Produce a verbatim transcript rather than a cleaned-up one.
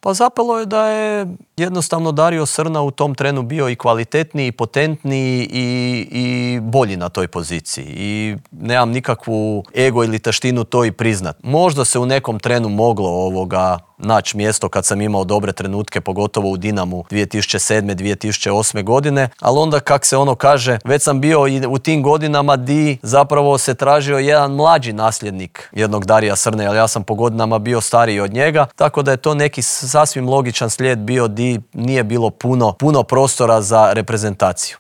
Pa zapelo je da je jednostavno Dario Srna u tom trenu bio i kvalitetniji, i potentniji i, i bolji na toj poziciji. I nemam nikakvu ego ili taštinu to i priznat. Možda se u nekom trenu moglo ovoga naći mjesto kad sam imao dobre trenutke, pogotovo u Dinamu dvije tisuće sedme. dvije tisuće osme. godine, ali onda kak se ono kaže, već sam bio i u tim godinama di zapravo se tražio jedan mlađi nasljednik jednog Darija Srne, jer ja sam po godinama bio stariji od njega, tako da je to neki sasvim logičan slijed bio di nije bilo puno, puno prostora za reprezentaciju.